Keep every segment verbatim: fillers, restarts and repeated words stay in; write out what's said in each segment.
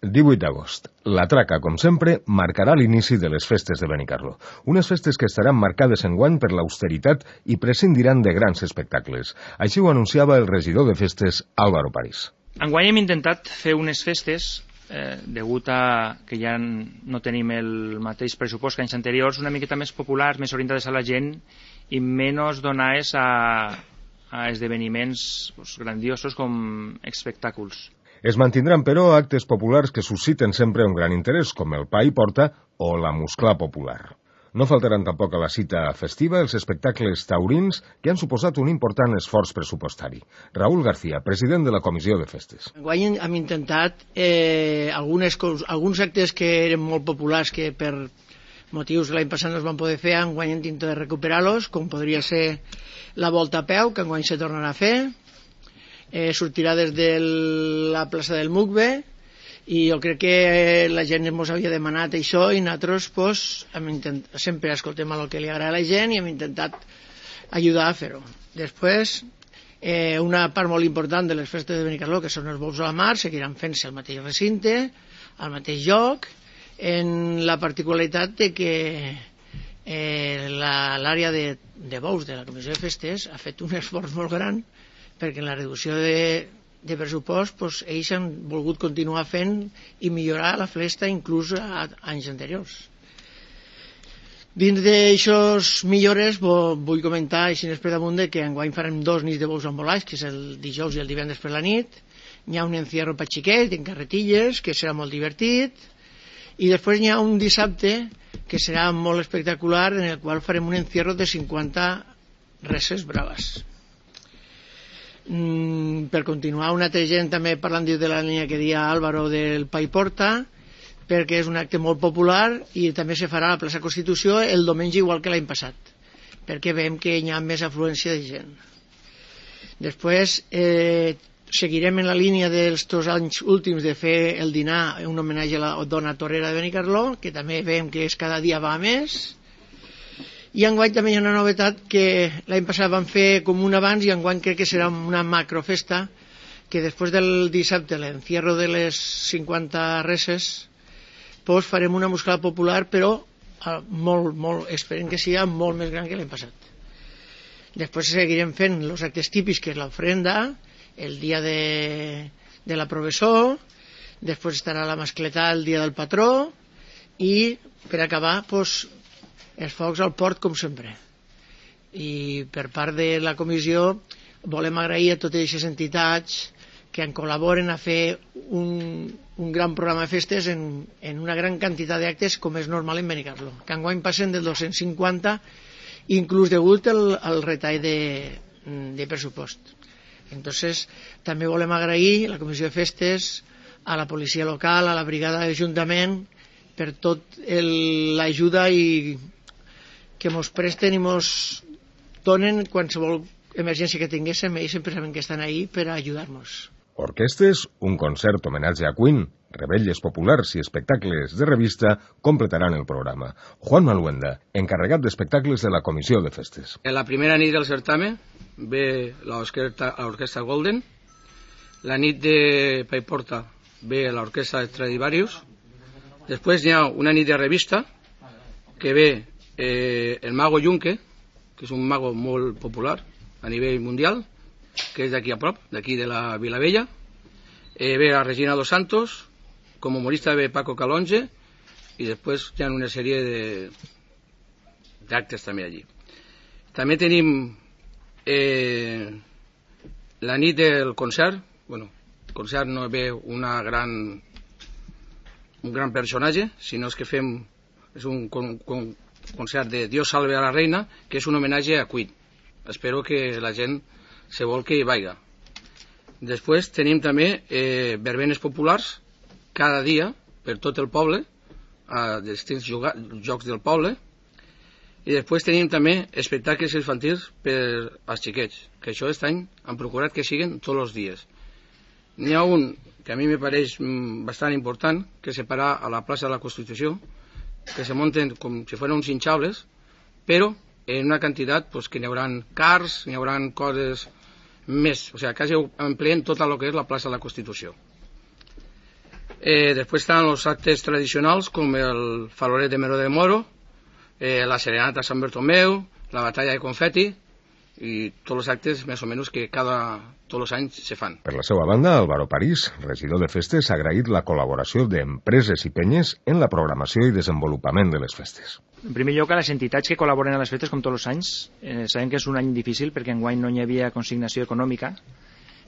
divuit d'agost. La traca, com sempre, marcarà l'inici de les festes de Benicarló. Unes festes que estaran marcades enguany per l'austeritat i prescindiran de grans espectacles. Així ho anunciava el regidor de festes, Álvaro París. Enguany hem intentat fer unes festes, eh, degut a que ja no tenim el mateix pressupost que anys anteriors, una miqueta més populars, més orientades a la gent i menys donades a, a esdeveniments pues, grandiosos com espectacles. Es mantindran, però, actes populars que susciten sempre un gran interès, com el pa i porta o la musclà popular. No faltaran tampoc a la cita festiva els espectacles taurins que han suposat un important esforç pressupostari. Raúl García, president de la Comissió de Festes. Enguany hem intentat eh, algunes, alguns actes que eren molt populars que per motius l'any passat no es van poder fer, enguany hem intentat recuperar-los, com podria ser la volta a peu, que enguany se tornarà a fer, Eh, sortirà des de la plaça del Mugbe i jo crec que la gent ens havia demanat això i nosaltres pues, hem intent... sempre escoltem el que li agrada a la gent i hem intentat ajudar a fer-ho. Després, eh, una part molt important de les festes de Benicarló, que són els bous a la mar, seguiran fent-se al mateix recinte, al mateix lloc, en la particularitat de que eh, l'àrea de, de bous de la Comissió de Festes ha fet un esforç molt gran perquè en la reducció de, de pressupost pues, ells han volgut continuar fent i millorar la festa inclús a, a anys anteriors. Dins d'aixòs millores vull comentar així per damunt que enguany farem dos nits de bous embolats, que és el dijous i el divendres per la nit. Hi ha un encierro per xiquets en carretilles que serà molt divertit i després hi ha un dissabte que serà molt espectacular en el qual farem un encierro de cinquanta reses braves. Mm, per continuar, una altra gent també parlant de la línia que deia Álvaro del Pa i Porta, perquè és un acte molt popular i també se farà a la plaça Constitució el diumenge igual que l'any passat, perquè veiem que hi ha més afluència de gent. Després eh, seguirem en la línia dels dos anys últims de fer el dinar, un homenatge a la dona torera de Benicarló, que també veiem que és cada dia va més. I enguany també hi ha una novetat que l'any passat vam fer com un abans i enguany crec que serà una macrofesta que després del dissabte, l'encierro de les cinquanta reses, doncs farem una musclà popular però molt, molt, esperem que sigui molt més gran que l'any passat. Després seguirem fent els actes típics que és l'ofrenda, el dia de, de la professó, després estarà la mascletà el dia del patró i per acabar doncs els focs al port com sempre. I per part de la comissió volem agrair a totes aquestes entitats que en col·laboren a fer un, un gran programa de festes en, en una gran quantitat d'actes com és normal en Benicarló, que enguany passen del dos-cents cinquanta inclús degut al, al retall de, de pressupost. Entonces també volem agrair a la comissió de festes, a la policia local, a la brigada de l'Ajuntament per tot l'ajuda i que mos presten i mos donen qualsevol emergència que tinguéssim, ells sempre saben que estan ahí per ajudar-nos. Orquestes, un concert homenatge a Queen, rebelles populars i espectacles de revista completaran el programa. Juan Maluenda, encarregat d'espectacles de la Comissió de Festes. En la primera nit del certamen ve l'orquestra Golden, la nit de Pa i Porta ve l'orquestra Stradivarius, després hi ha una nit de revista que ve Eh, el mago Junque, que és un mago molt popular a nivell mundial, que és d'aquí a prop, d'aquí de la Vilavella. Eh, ve la Regina dos Santos, com humorista ve Paco Calonge, i després hi ha una sèrie de d'actes també allí. També tenim eh, la nit del concert. Bueno, el concert no ve una gran un gran personatge, sinó que fem és un con, con, concert de Dios salve a la reina, que és un homenatge a Queen. Espero que la gent se vol que hi vaiga. Després tenim també eh, verbenes populars cada dia per tot el poble, a distints jocs del poble, i després tenim també espectacles infantils per als xiquets, que això aquest any han procurat que siguin tots els dies. N'hi ha un que a mi me pareix bastant important, que és separar a la plaça de la Constitució, que se munten com si fueran uns hinchables, però en una quantitat pues, que n'hi haurà cars, n'hi haurà coses més, o sigui, quasi empleen tot el que és la plaça de la Constitució. Eh, después están los actes tradicionales como el Faloret de Mero de Moro, eh, la Serenata San Bartomeu, la Batalla de Confeti i tots els actes més o menys que cada, tots els anys se fan. Per la seva banda, Álvaro París, regidor de festes, ha agraït la col·laboració d'empreses i penyes en la programació i desenvolupament de les festes. En primer lloc, a les entitats que col·laboren a les festes, com tots els anys, eh, sabem que és un any difícil perquè enguany no hi havia consignació econòmica,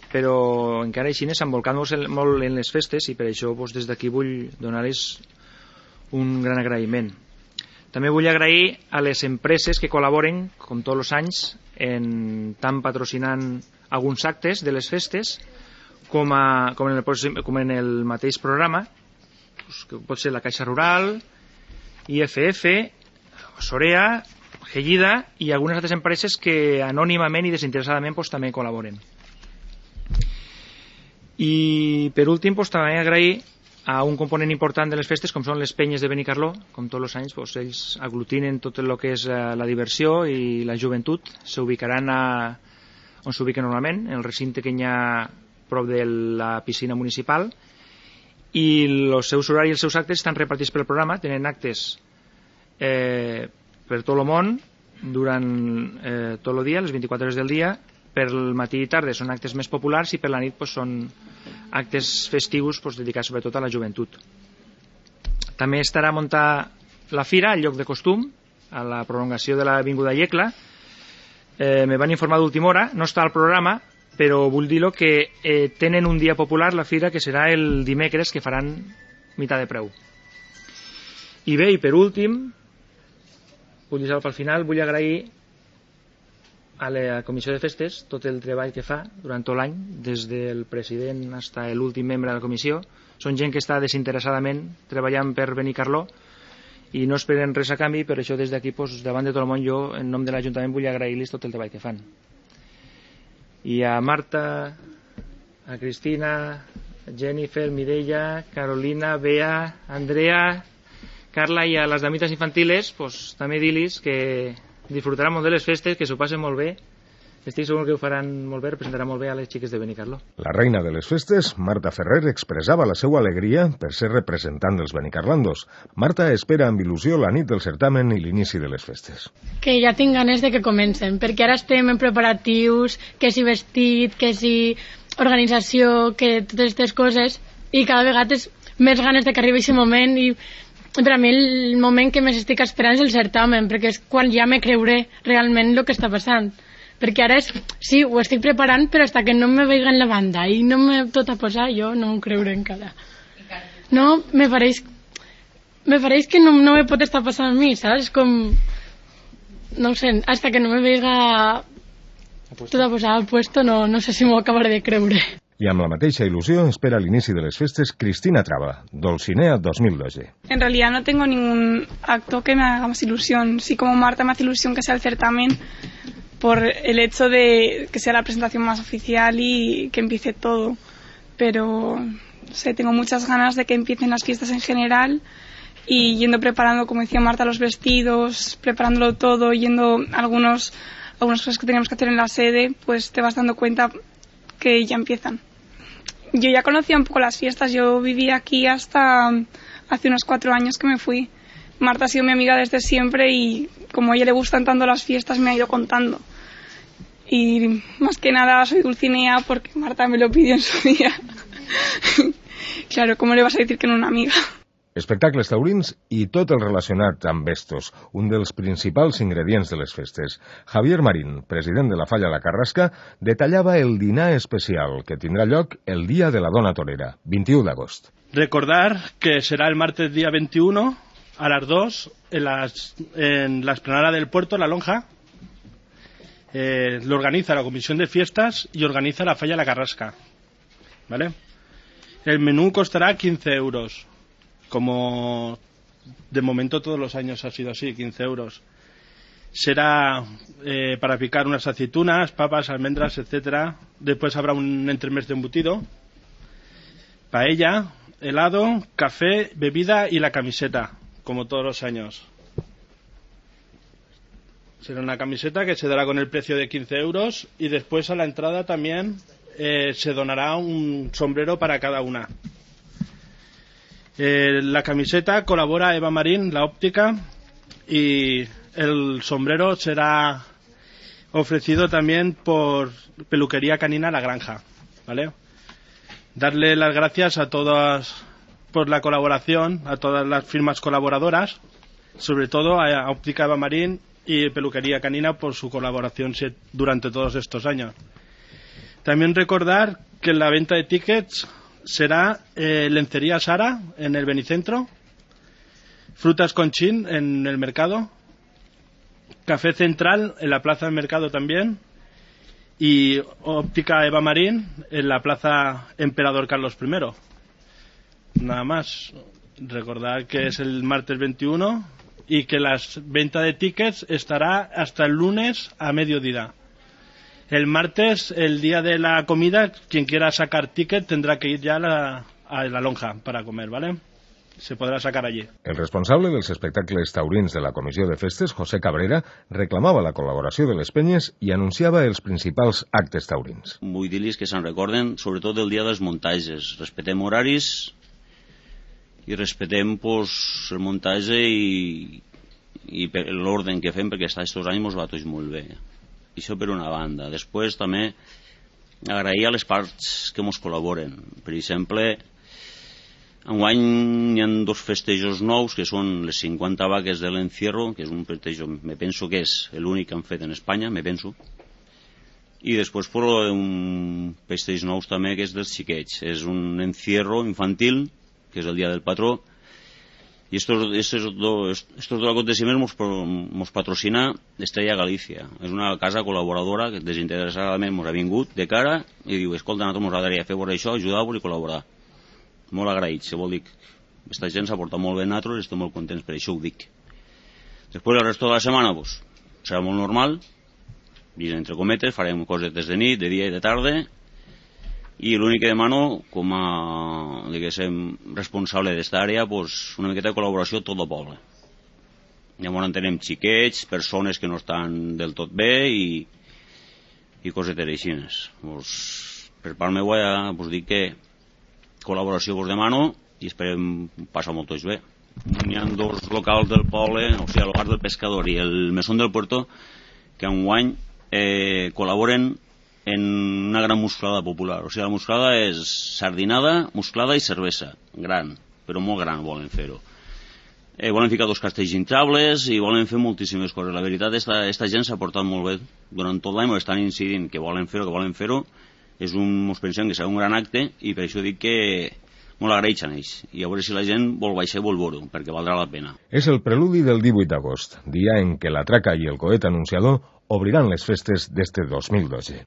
però encara així s'han volcat molt en les festes i per això doncs, des d'aquí vull donar-los un gran agraïment. També vull agrair a les empreses que col·laboren, com tots els anys, en tant patrocinant alguns actes de les festes com, a, com, en, el, com en el mateix programa, doncs, que pot ser la Caixa Rural, I F F, Sorea, Gellida i algunes altres empreses que anònimament i desinteressadament doncs, també col·laboren. I per últim doncs, també agrair a un component important de les festes com són les penyes de Benicarló, com tots els anys doncs, ells aglutinen tot el que és la diversió i la joventut, s'ubicaran a, on s'ubiquen normalment, en el recinte que hi ha prop de la piscina municipal, i els seus horaris i els seus actes estan repartits pel programa, tenen actes eh, per tot el món durant eh, tot el dia, les vint-i-quatre hores del dia. Per el matí i tarda són actes més populars i per la nit doncs, són actes festius doncs, dedicats sobretot a la joventut. També estarà a muntar la fira al lloc de costum, a la prolongació de l'Avinguda Iecla. Eh, me van informar d'última hora, no està al programa, però vull dir-lo que eh, tenen un dia popular la fira que serà el dimecres, que faran meitat de preu. I bé, i per últim, vull dir-ho al final, vull agrair a la Comissió de Festes tot el treball que fa durant tot l'any, des del president fins a l'últim membre de la comissió. Són gent que està desinteressadament treballant per Benicarló i no esperen res a canvi, per això des d'aquí, doncs, davant de tot el món, jo, en nom de l'Ajuntament, vull agrair-los tot el treball que fan. I a Marta, a Cristina, Jennifer, Mireia, Carolina, Bea, Andrea, Carla i a les damitas infantiles, doncs, també dir-los que disfrutaran molt de les festes, que s'ho passen molt bé. Estic segur que ho faran molt bé, representarà molt bé a les xiques de Benicarló. La reina de les festes, Marta Ferrer, expressava la seva alegria per ser representant dels benicarlandos. Marta espera amb il·lusió la nit del certamen i l'inici de les festes. Que ja tinc ganes de que comencen, perquè ara estem en preparatius, que si vestit, que si organització, que totes aquestes coses, i cada vegada és més ganes de que arribi aquest moment i per a mi el moment que més estic esperant és el certamen, perquè és quan ja me creuré realment el que està passant. Perquè ara és, sí, ho estic preparant, però hasta que no me veiga en la banda i no me tot a posar, jo no ho creuré encara. No, me pareix, me pareix que no, no me pot estar passant a mi, saps? Com, no sé, hasta que no me veiga tot a posar al puesto, no, no sé si m'ho acabaré de creure. I amb la mateixa il·lusió espera l'inici de les festes Cristina Traba, Dolcinea dos mil doce. En realidad no tengo ningún acto que me haga más ilusión. Sí, como Marta me hace ilusión que sea el certamen por el hecho de que sea la presentación más oficial y que empiece todo. Pero, no sé, tengo muchas ganas de que empiecen las fiestas en general y yendo preparando, como decía Marta, los vestidos, preparándolo todo, yendo a algunos, algunas cosas que tenemos que hacer en la sede, pues te vas dando cuenta que ya empiezan. Yo ya conocía un poco las fiestas, yo viví aquí hasta hace unos cuatro años que me fui. Marta ha sido mi amiga desde siempre y como a ella le gustan tanto las fiestas me ha ido contando. Y más que nada soy Dulcinea porque Marta me lo pidió en su día. Claro, ¿cómo le vas a decir que no a una amiga? Espectacles taurins i tot el relacionat amb estos, un dels principals ingredients de les festes. Javier Marín, president de la Falla La Carrasca, detallava el dinar especial que tindrà lloc el dia de la Dona Torera, vint-i-u d'agost. Recordar que será el martes día veintiuno a las dos en, las, en la explanada del puerto, La Lonja. Eh, lo organiza la Comisión de Fiestas y organiza la Falla La Carrasca. ¿Vale? El menú costará quince euros. Como de momento todos los años ha sido así, quince euros. Será eh, para picar unas aceitunas, papas, almendras, etcétera. Después habrá un entremés de embutido, paella, helado, café, bebida y la camiseta, como todos los años. Será una camiseta que se dará con el precio de quince euros y después a la entrada también eh, se donará un sombrero para cada una. Eh, la camiseta colabora Eva Marín, la óptica, y el sombrero será ofrecido también por Peluquería Canina La Granja, ¿vale? Darle las gracias a todas por la colaboración, a todas las firmas colaboradoras, sobre todo a Óptica Eva Marín y Peluquería Canina por su colaboración durante todos estos años. También recordar que la venta de tickets será eh, Lencería Sara en el Benicentro, Frutas Conchín en el Mercado, Café Central en la Plaza del Mercado también, y Óptica Eva Marín en la Plaza Emperador Carlos primero. Nada más. Recordar que es el martes veintiuno y que la venta de tickets estará hasta el lunes a mediodía. El martes, el día de la comida, quien quiera sacar ticket tendrá que ir ya a la, a la lonja para comer, ¿vale? Se podrá sacar allí. El responsable dels espectacles taurins de la Comissió de Festes, José Cabrera, reclamava la col·laboració de les penyes i anunciava els principals actes taurins. Vull dir-los que se'n recorden, sobretot del dia dels muntatges. Respetem horaris i respetem pues, el muntatge i, i l'ordre que fem, perquè aquests anys ens va tots molt bé. Això per una banda. Després també agrair a les parts que ens col·laboren. Per exemple, enguany hi ha dos festejos nous que són les cinquanta vaques de l'Encierro, que és un festejo, me penso que és l'únic que han fet en Espanya, me penso. I després per un festeig nous també que és dels xiquets. És un encierro infantil, que és el dia del patró, i estos, estos, dos, estos dos aconteciments ens patrocina Estrella Galícia. És una casa col·laboradora que desinteressadament ens ha vingut de cara i diu, escolta, nosaltres ens agradaria fer això, ajudar-vos i col·laborar. Molt agraïts, se vol dir que aquesta gent s'ha portat molt bé a nosaltres i estem molt contents, per això ho dic. Després el resto de la setmana pues, serà molt normal, i entre cometes farem cosetes de nit, de dia i de tarda, i l'únic que demano com a diguéssim, responsable d'esta àrea pues, una miqueta de col·laboració a tot el poble. Llavors entenem xiquets, persones que no estan del tot bé i, i cosetes així. Pues, per part meva ja us dic que col·laboració us demano i esperem passar molt tots bé. Hi ha dos locals del poble, o sigui, el bar del pescador i el mesón del puerto, que enguany eh, col·laboren en una gran musclada popular. O sigui, la musclada és sardinada, musclada i cervesa. Gran, però molt gran volen fer-ho. Eh, volen ficar dos castells hinchables i volen fer moltíssimes coses. La veritat, esta, esta gent s'ha portat molt bé. Durant tot l'any estan incidint que volen fer-ho, que volen fer-ho. És un, ens pensem que serà un gran acte i per això dic que molt agraeixen ells. I a veure si la gent vol baixar i vol veure-ho, perquè valdrà la pena. És el preludi del divuit d'agost, dia en què la traca i el coet anunciador obriran les festes d'este dos mil dotze.